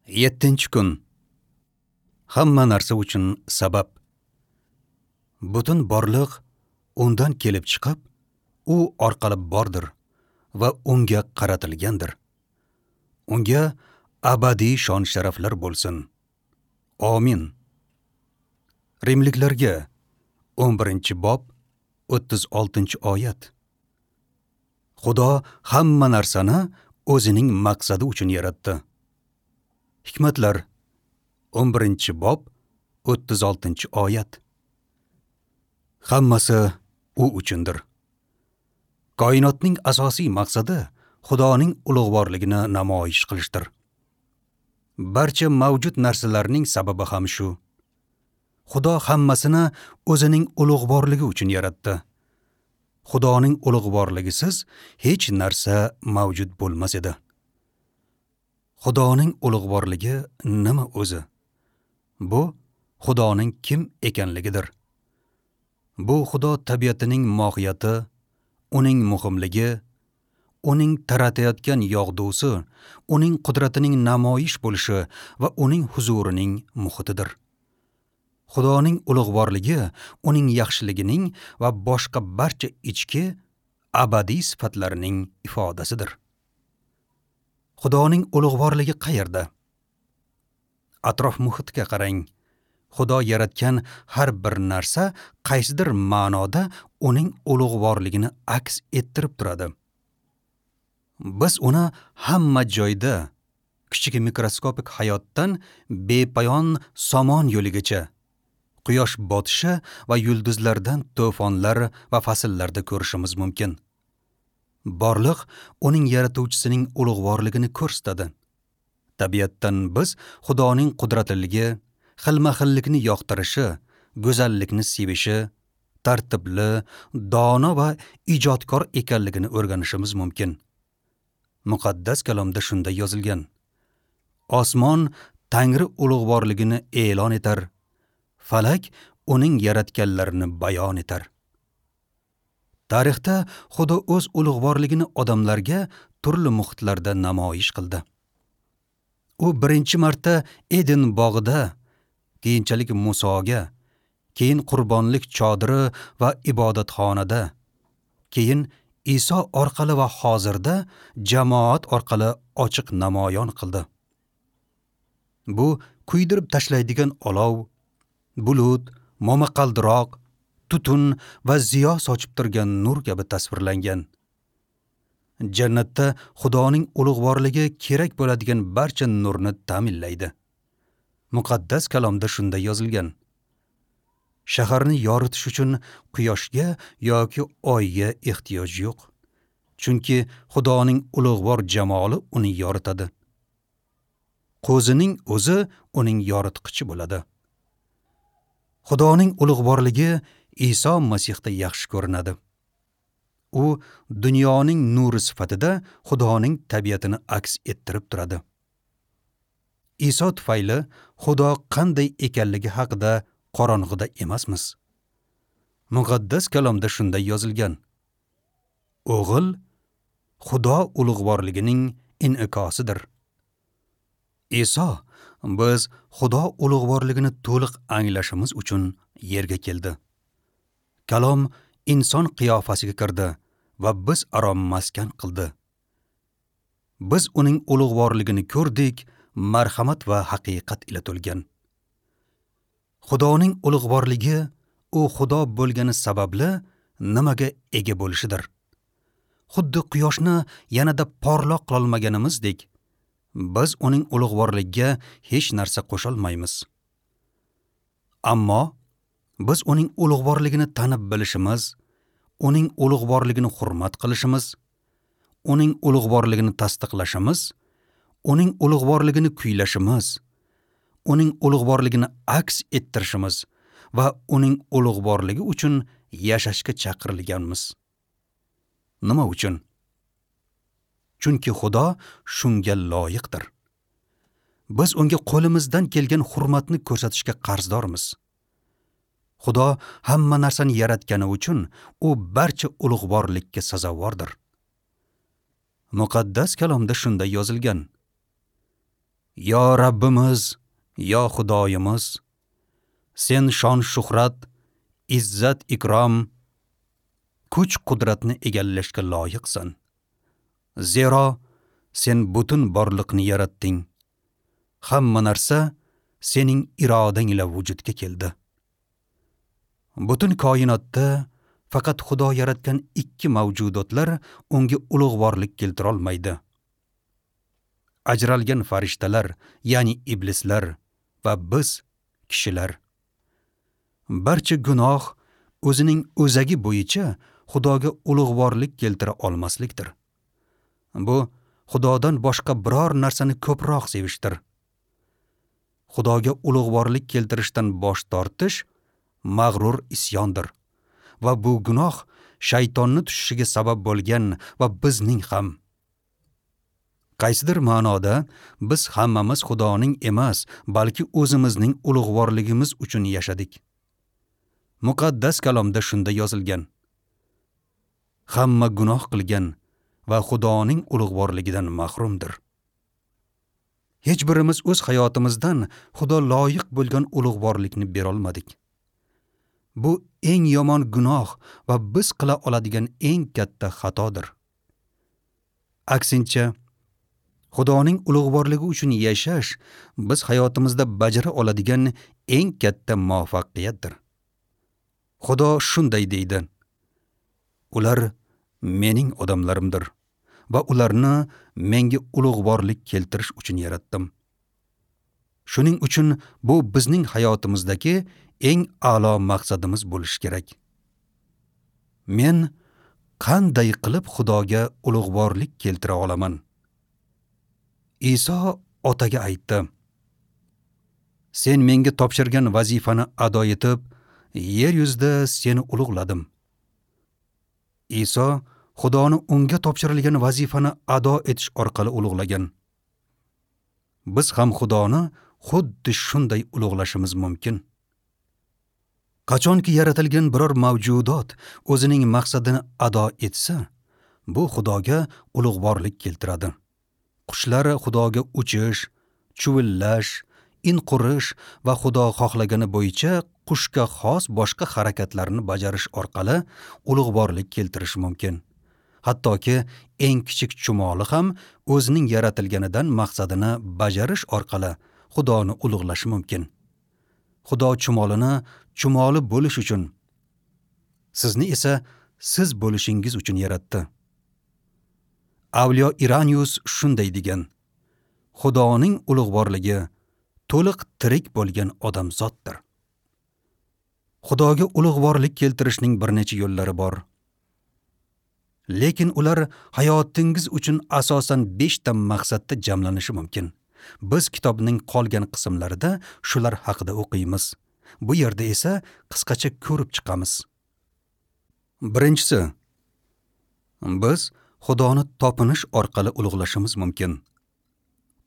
7-kun. Hamma narsa uchun sabab. Butun borliq undan kelib chiqib, u orqali bordir va unga qaratilgandir. Unga abadiy shon-sharaflar bo'lsin. Amin. Rimliklarga 11-bob 36-oyat. Xudo hamma narsani o'zining maqsadi uchun yaratdi. Hikmatlar 11-bob 36-oyat. Hammasi u uchundir. Koinotning asosiy maqsadi Xudoning ulug'vorligini namoyish qilishdir. Barcha mavjud narsalarning sababi ham shu. Xudo hammasini o'zining ulug'vorligi uchun yaratdi. Xudoning ulug'vorligisiz hech narsa mavjud bo'lmas edi. Xudoning ulug'vorligi nima o'zi? Bu Xudoning kim ekanligidir. Bu Xudo tabiatining mohiyati, uning muhimligi, uning taratayotgan yog'dusi, uning qudratining namoyish bo'lishi va uning huzurining muhitidir. Xudoning ulug'vorligi uning yaxshiligining va boshqa barcha ichki abadiy sifatlarining ifodasidir. Xudoning ulug'vorligi qayerda? Atrof muhitga qarang. Xudo yaratgan har bir narsa qaysidir ma'noda uning ulug'vorligini aks ettirib turadi. Biz uni hamma joyda, kichik mikroskopik hayotdan bepoyon somon yo'ligacha, quyosh botishi va yulduzlardan to'fonlar va fasllarda ko'rishimiz mumkin. Borliq uning yaratuvchisining ulug'vorligini ko'rsatadi. Tabiatdan biz Xudoning qudratliligi, xilma-xillikni yoqtirishi, go'zallikni sevishi, tartibli, dono va ijodkor ekanligini o'rganishimiz mumkin. Muqaddas kalomda shunday yozilgan: Osmon Tangri ulug'vorligini e'lon etar, falak uning yaratganlarini bayon etar. Tarixda Xudo o'z ulug'vorligini odamlarga turli muhitlarda namoyish qildi. U birinchi marta Eden bog'ida, keyinchalik Musoga, keyin qurbonlik chodiri va ibodatxonada, keyin Iso orqali va hozirda jamoat orqali ochiq namoyon qildi. Bu kuydirib tashlaydigan olov, bulut, momaqaldiroq, tutun va ziyo sochib turgan nur kabi tasvirlangan. Jannatda Xudoning ulug'vorligi kerak bo'ladigan barcha nurni ta'minlaydi. Muqaddas kalomda shunday yozilgan: Shaharni yoritish uchun quyoshga yoki oyga ehtiyoj yo'q. Chunki Xudoning ulug'vor jamoli uni yoritadi. Qo'zining o'zi uning yoritqichi bo'ladi. Xudoning ulug'vorligi Iso Masihda yaxshi ko'rinadi. U dunyoning nuri sifatida Xudoning tabiatini aks ettirib turadi. Iso tufayli Xudo qanday ekanligi haqida qorong'ida emasmiz. Muqaddas kalomda shunday yozilgan: O'g'il Xudo ulug'vorligining in'ikosidir. Iso biz Xudo ulug'vorligini to'liq anglashimiz uchun yerga keldi. Kalom inson qiyofasiga kirdi va biz aro maskan qildi. Biz uning ulug'vorligini ko'rdik, marhamat va haqiqat ila to'lgan. Xudoning ulug'vorligi u Xudo bo'lgani sababli nimaga ega bo'lishidir. Xuddi quyoshni yanada porloq qilolmaganimizdek, biz uning ulug'vorligiga hech narsa qo'sholmaymiz. Ammo biz uning ulug'vorligini tanib bilishimiz, uning ulug'vorligini hurmat qilishimiz, uning ulug'vorligini tasdiqlashimiz, uning ulug'vorligini kuylashimiz, uning ulug'vorligini aks ettirishimiz va uning ulug'vorligi uchun yashashga chaqirilganmiz. Nima uchun? Chunki Xudo shunga loyiqdir. Biz unga qo'limizdan kelgan hurmatni ko'rsatishga qarzdormiz. Xudo hamma narsani yaratgani uchun u barcha ulug'vorlikka sazovordir. Muqaddas kalomda shunday yozilgan: Yo Rabbimiz, yo Xudoyimiz, sen shon shuhrat, izzat ikrom, kuch qudratni egallashga loyiqsan. Zero sen butun borliqni yaratding. Hamma narsa sening irodang ila vujudga keldi. Butun koinotda faqat Xudo yaratgan ikki mavjudotlar unga ulug'vorlik keltira olmaydi. Ajralgan farishtalar, ya'ni iblislar va biz kishilar. Barcha gunoh o'zining o'zagi bo'yicha Xudoga ulug'vorlik keltira olmaslikdir. Bu Xudodan boshqa biror narsani ko'proq sevishdir. Xudoga ulug'vorlik keltirishdan bosh tortish mag'rur isyondir va bu gunoh shaytonni tushishiga sabab bo'lgan va bizning ham. Qaysidir ma'noda biz hammamiz Xudoning emas, balki o'zimizning ulug'vorligimiz uchun yashadik. Muqaddas kalomda shunda yozilgan. Hamma gunoh qilgan va Xudoning ulug'vorligidan mahrumdir. Hech birimiz o'z hayotimizdan Xudo loyiq bo'lgan ulug'vorlikni bera olmadik. Bu eng yomon gunoh va biz qila oladigan eng katta xatodir. Aksincha, Xudoning ulug'vorligi uchun yashash biz hayotimizda bajara oladigan eng katta muvaffaqiyatdir. Xudo shunday deydi: Ular mening odamlarimdir va ularni menga ulug'vorlik keltirish uchun yaratdim. Shuning uchun bu bizning hayotimizdagi eng a'lo maqsadimiz bo'lishi kerak. Men qanday qilib Xudoga ulug'vorlik keltira olaman? Iso otaga aytdi: Sen menga topshirgan vazifani ado etib, yer yuzida seni ulug'ladim. Iso Xudoni unga topshirilgan vazifani ado etish orqali ulug'lagan. Biz ham Xudoni xuddi shunday ulug'lashimiz mumkin. Qachonki yaratilgan biror mavjudot o'zining maqsadini ado etsa, bu Xudoga ulug'vorlik keltiradi. Qushlar Xudoga uchish, chuvillash, in qurish va Xudo xohlagani bo'yicha qushga xos boshqa harakatlarni bajarish orqali ulug'vorlik keltirish mumkin. Hattoki eng kichik chumoli ham o'zining yaratilganidan maqsadini bajarish orqali Xudoni ulug'lashi mumkin. Xudo chumolini chumoli bo'lish uchun, sizni esa siz bo'lishingiz uchun yaratdi. Avliyo Iranius shunday degan: Xudoning ulug'vorligi to'liq tirik bo'lgan odamzoddir. Xudoga ulug'vorlik keltirishning bir necha yo'llari bor. Lekin ular hayotingiz uchun asosan 5 ta maqsadda jamlanishi mumkin. Biz kitobning qolgan qismlarida shular haqida o'qiymiz. Bu yerda esa qisqacha ko'rib chiqamiz. Birinchisi, biz Xudoni topinish orqali ulug'lashimiz mumkin.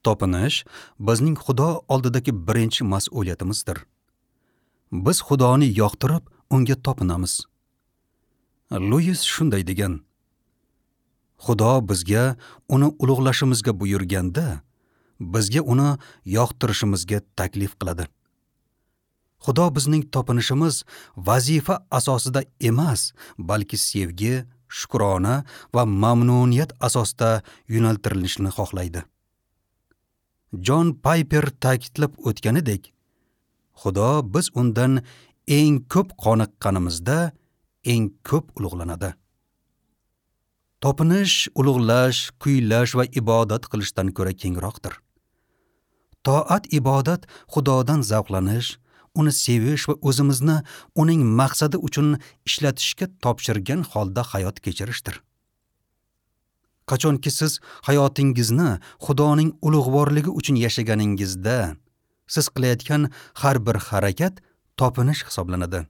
Topinish bizning Xudo oldidagi birinchi mas'uliyatimizdir. Biz Xudoni yoqtirib, unga topinamiz. Luis shunday degan: Xudo bizga uni ulug'lashimizga buyurganda, bizga uni yoqtirishimizga taklif qiladi. Xudo bizning topinishimiz vazifa asosida emas, balki sevgi, shukrona va mamnuniyat asosida yo'naltirilishini xohlaydi. Jon Payper ta'kidlab o'tganidek, Xudo biz undan eng ko'p qoniqqanimizda eng ko'p ulug'lanadi. Topinish, ulug'lash, kuylash va ibodat qilishdan ko'ra kengroqdir. Toat ibodat Xudodan zavqlanish, uni sevish va o'zimizni uning maqsadi uchun ishlatishga topshirgan holda hayot kechirishdir. Qachonki siz hayotingizni Xudoning ulug'vorligi uchun yashaganingizda, siz qilayotgan har bir harakat topinish hisoblanadi.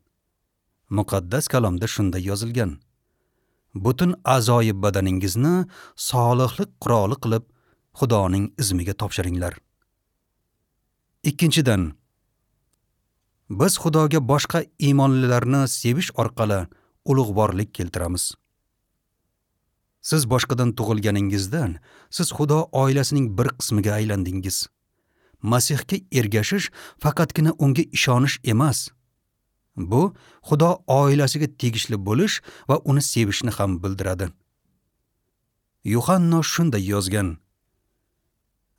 Muqaddas kalomda shunday yozilgan: Butun a'zoyi badaningizni solihlik quroli qilib Xudoning izmiga topshiringlar. Ikkinchidan, biz Xudoga boshqa iymonlilarni sevish orqali ulug'vorlik keltiramiz. Siz boshqadan tug'ilganingizdan siz Xudo oilasining bir qismiga aylandingiz. Masihga ergashish faqatgina unga ishonish emas. Bu Xudo oilasiga tegishli bo'lish va uni sevishni ham bildiradi. Yuhanno shunday yozgan: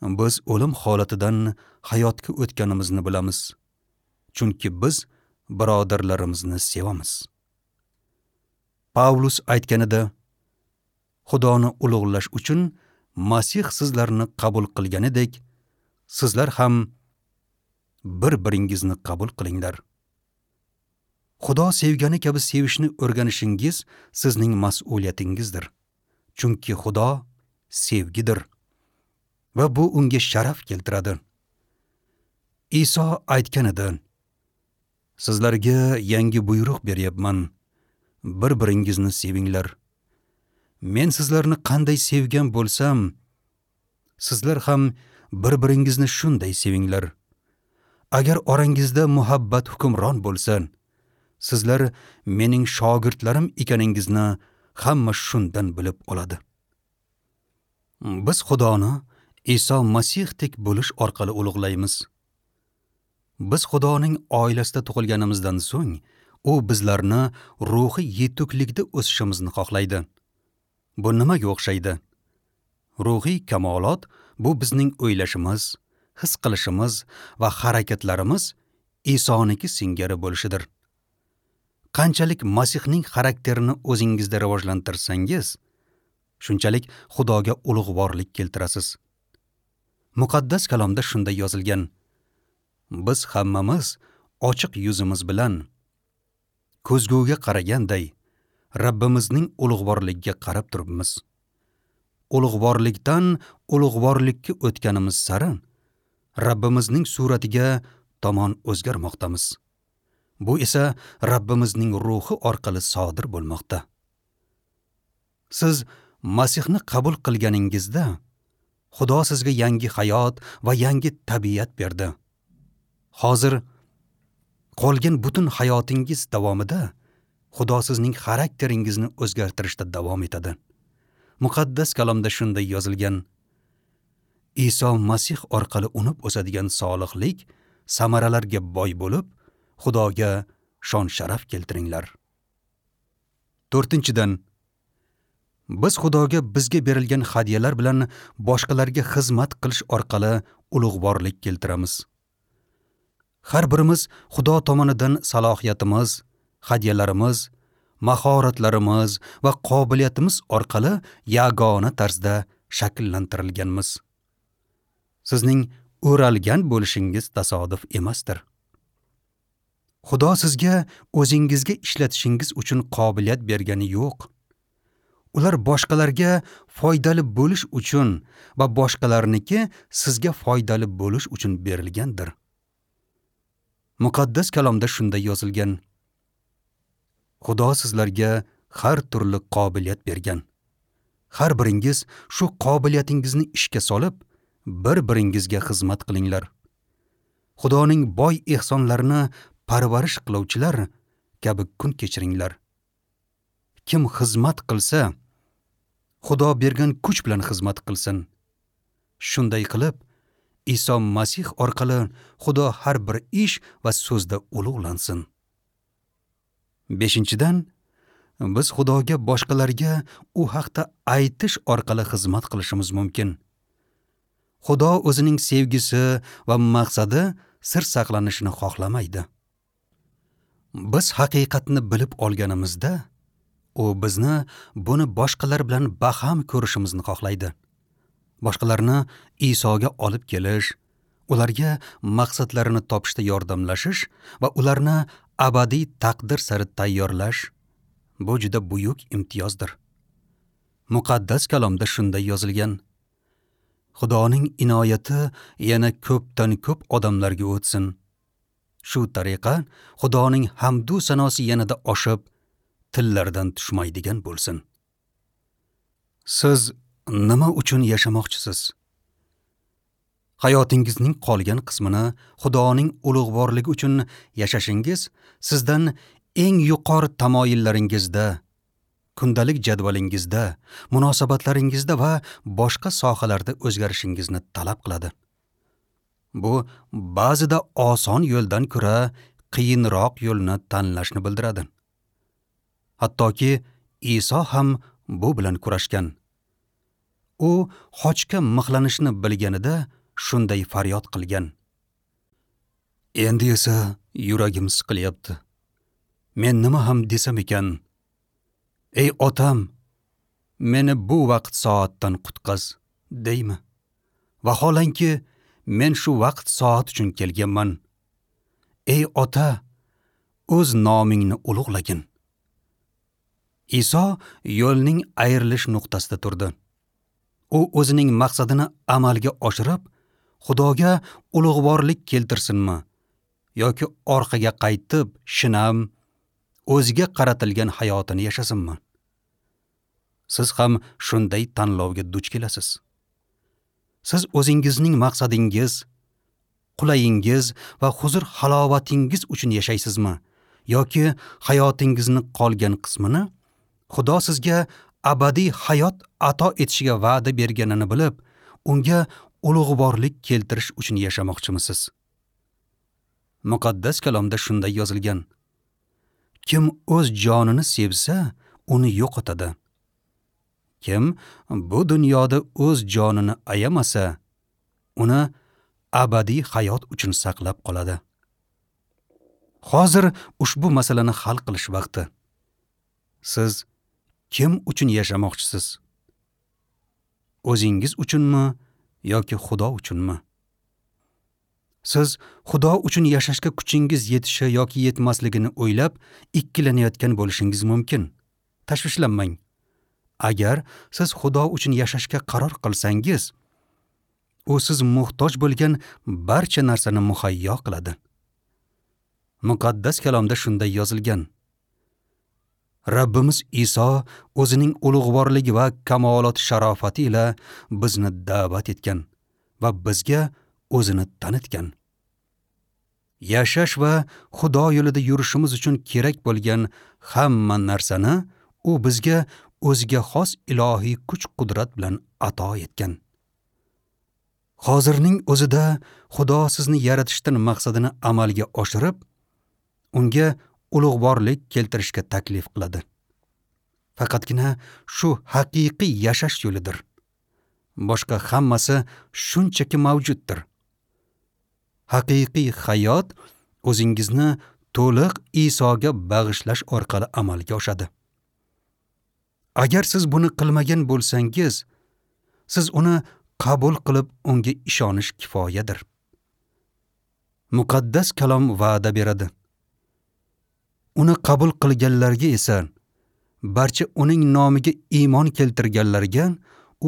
Biz o'lim holatidan hayotga o'tganimizni bilamiz, chunki biz birodarlarimizni sevamiz. Pavlus aytganida, Xudoni ulug'lash uchun Masih sizlarni qabul qilganidek, sizlar ham bir-biringizni qabul qilinglar. Xudo sevgani kabi sevishni o'rganishingiz sizning mas'uliyatingizdir. Chunki Xudo sevgidir va bu unga sharaf keltiradi. Iso aytgan edi: Sizlarga yangi buyruq beryapman. Bir-biringizni sevinglar. Men sizlarni qanday sevgan bo'lsam, sizlar ham bir-biringizni shunday sevinglar. Agar orangizda muhabbat hukmron bo'lsa, sizlar mening shogirdlarim ekaningizni hamma shundan bilib oladi. Biz Xudoni Iso Masihdek bo'lish orqali ulug'laymiz. Biz Xudoning oilasida tug'ilganimizdan so'ng, u bizlarni ruhiy yetuklikda o'sishimizni xohlaydi. Bu nimaga o'xshaydi? Ruhiy kamolot bu bizning o'ylashimiz, his qilishimiz va harakatlarimiz Isoniki singari bo'lishidir. Qanchalik Masihning xarakterini o'zingizda rivojlantirsangiz, shunchalik Xudoga ulug'vorlik keltirasiz. Muqaddas kalomda shunday yozilgan: Biz hammamiz ochiq yuzimiz bilan ko'zguga qaraganday Rabbimizning ulug'vorligiga qarab turibmiz. Ulug'vorlikdan ulug'vorlikka o'tganimiz sari Rabbimizning suratiga tomon o'zgarmoqdamiz. Bu esa Rabbimizning ruhi orqali sodir bo'lmoqda. Siz Masihni qabul qilganingizda Xudo sizga yangi hayot va yangi tabiat berdi. Hozir qolgan butun hayotingiz davomida Xudo sizning xarakteringizni o'zgartirishda davom etadi. Muqaddas kalomda shunday yozilgan: Iso Masih orqali unib o'sadigan solihlik samaralarga boy bo'lib, Xudoga shon-sharaf keltiringlar. 4-dan, biz Xudoga bizga berilgan hadyalar bilan boshqalarga xizmat qilish orqali ulug'vorlik keltiramiz. Har birimiz Xudo tomonidan salohiyatimiz, hadyalarimiz, mahoratlarimiz va qobiliyatimiz orqali yagona tarzda shakllantirilganmiz. Sizning o'ralgan bo'lishingiz tasodif emasdir. Xudo sizga o'zingizga ishlatishingiz uchun qobiliyat bergani yo'q. Ular boshqalarga foydali bo'lish uchun va boshqalarniki sizga foydali bo'lish uchun berilgandir. Muqaddas kalomda shunday yozilgan: Xudo sizlarga har turli qobiliyat bergan. Har biringiz shu qobiliyatingizni ishga solib, bir-biringizga xizmat qilinglar. Xudoning boy ehsonlarini parvarish qiluvchilar kabi kun kechiringlar. Kim xizmat qilsa, Xudo bergan kuch bilan xizmat qilsin. Shunday qilib, Iso Masih orqali Xudo har bir ish va so'zda ulug'lansin. 5-dan, biz Xudoga boshqalarga u haqda aytish orqali xizmat qilishimiz mumkin. Xudo o'zining sevgisi va maqsadi sir saqlanishini xohlamaydi. Biz haqiqatni bilib olganimizda, u bizni buni boshqalar bilan baham ko'rishimizni xohlaydi. Boshqalarni Isoga olib kelish, ularga maqsadlarini topishda yordamlashish va ularni abadiy taqdir sari tayyorlash bu juda buyuk imtiyozdir. Muqaddas kalomda shunday yozilgan: Xudoning inoyati yana ko'pdan ko'p odamlarga o'tsin. Shu tariqa Xudoning hamdu sanosi yanada oshib, tillardan tushmaydigan bo'lsin. Siz nima uchun yashamoqchisiz? Hayotingizning qolgan qismini Xudoning ulug'vorligi uchun yashashingiz sizdan eng yuqori tamoyillaringizda, kundalik jadvalingizda, munosabatlaringizda va boshqa sohalarda o'zgarishingizni talab qiladi. Bu ba'zida oson yo'ldan ko'ra qiyinroq yo'lni tanlashni bildiradi. Hattoki Iso ham bu bilan kurashgan. U xochga mixlanishni bilganida shunday faryod qilgan: Endi esa yuragim siqilyapti. Men nima ham desam ekan? Ey otam, meni bu vaqt soatdan qutqaz, deymi? Vaholanki men shu vaqt soat uchun kelganman. Ey ota, o'z nomingni ulug'lagin. Iso yo'lning ayrilish nuqtasida turdi. U o'zining maqsadini amalga oshirib, Xudoga ulug'vorlik keltirsinmi yoki orqaga qaytib, shinam o'ziga qaratilgan hayotini yashasinmi? Siz ham shunday tanlovga duch kelasiz. Siz o'zingizning maqsadingiz, qulayingiz va huzur halovatingiz uchun yashaysizmi yoki hayotingizni qolgan qismini Xudo sizga abadiy hayot ato etishiga va'da berganini bilib, unga ulug'vorlik keltirish uchun yashamoqchimisiz? Muqaddas kalomda shunday yozilgan: Kim o'z jonini sevsa, uni yo'qotadi. Kim bu dunyoda o'z jonini ayamasa, uni abadiy hayot uchun saqlab qoladi. Hozir ushbu masalani hal qilish vaqti. Siz kim uchun yashamoqchisiz? O'zingiz uchunmi yoki Xudo uchunmi? Siz Xudo uchun yashashga kuchingiz yetishi yoki yetmasligini o'ylab ikkilanayotgan bo'lishingiz mumkin. Tashvishlanmang. Agar siz Xudo uchun yashashga qaror qilsangiz, u siz muhtoj bo'lgan barcha narsani muhayyo qiladi. Muqaddas kalomda shunday yozilgan: Rabbimiz Iso o'zining ulug'vorligi va kamolot sharofati ila bizni da'vat etgan va bizga o'zini tanitgan. Yashash va Xudo yo'lida yurishimiz uchun kerak bo'lgan hamma narsani u bizga o'ziga xos ilohiy kuch-qudrat bilan ato etgan. Hozirning o'zida Xudo sizni yaratishdan maqsadini amalga oshirib, unga ulug'vorlik keltirishga taklif qiladi. Faqatgina shu haqiqiy yashash yo'lidir. Boshqa hammasi shunchaki mavjuddir. Haqiqiy hayot o'zingizni to'liq Isoga bag'ishlash orqali amalga oshadi. Agar siz buni qilmagan bo'lsangiz, siz uni qabul qilib unga ishonish kifoyadir. Muqaddas kalom va'da beradi. Uni qabul qilganlarga esa, barcha uning nomiga iymon keltirganlarga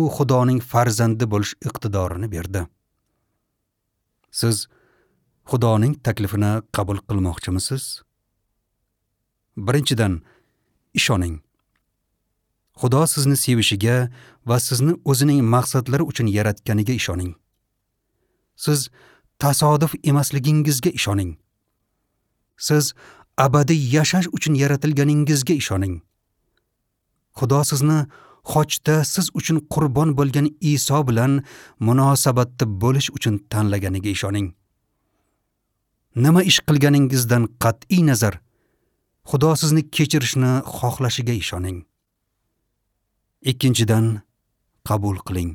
u Xudoning farzandi bo'lish iqtidorini berdi. Siz Xudoning taklifini qabul qilmoqchimisiz? Birinchidan, ishoning. Xudo sizni sevishiga va sizni o'zining maqsadlari uchun yaratganiga ishoning. Siz tasodif emasligingizga ishoning. Siz abadiy yashash uchun yaratilganingizga ishoning. Xudo sizni xochda siz uchun qurbon bo'lgan Iso bilan munosabatda bo'lish uchun tanlaganiga ishoning. Nima ish qilganingizdan qat'iy nazar, Xudo sizni kechirishni xohlashiga ishoning. Ikkinchidan, qabul qiling.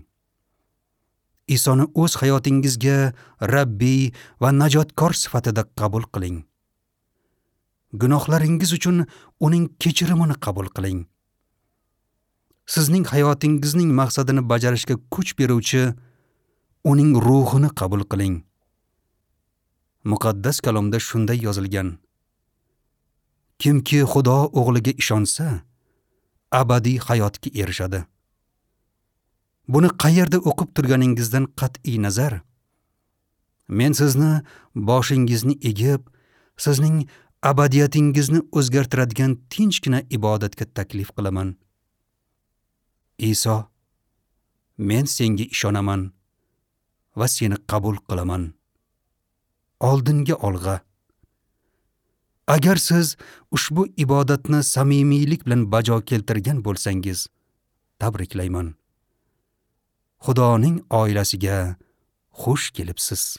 Isoni o'z hayotingizga Rabbiy va najotkor sifatida qabul qiling. Gunohlaringiz uchun uning kechirimini qabul qiling. Sizning hayotingizning maqsadini bajarishga kuch beruvchi uning ruhini qabul qiling. Muqaddas kalomda shunday yozilgan: Kimki Xudo o'g'liga ishonsa, abadiy hayotga erishadi. Buni qayerda o'qib turganingizdan qat'iy nazar, men sizni boshingizni egib, sizning abadiyatingizni o'zgartiradigan tinchgina ibodatga taklif qilaman. Iso, men senga ishonaman va seni qabul qilaman. Oldinga olg'a. Agar siz ushbu ibodatni samimiylik bilan bajo keltirgan bo'lsangiz, tabriklayman. Xudoning oilasiga xush kelibsiz.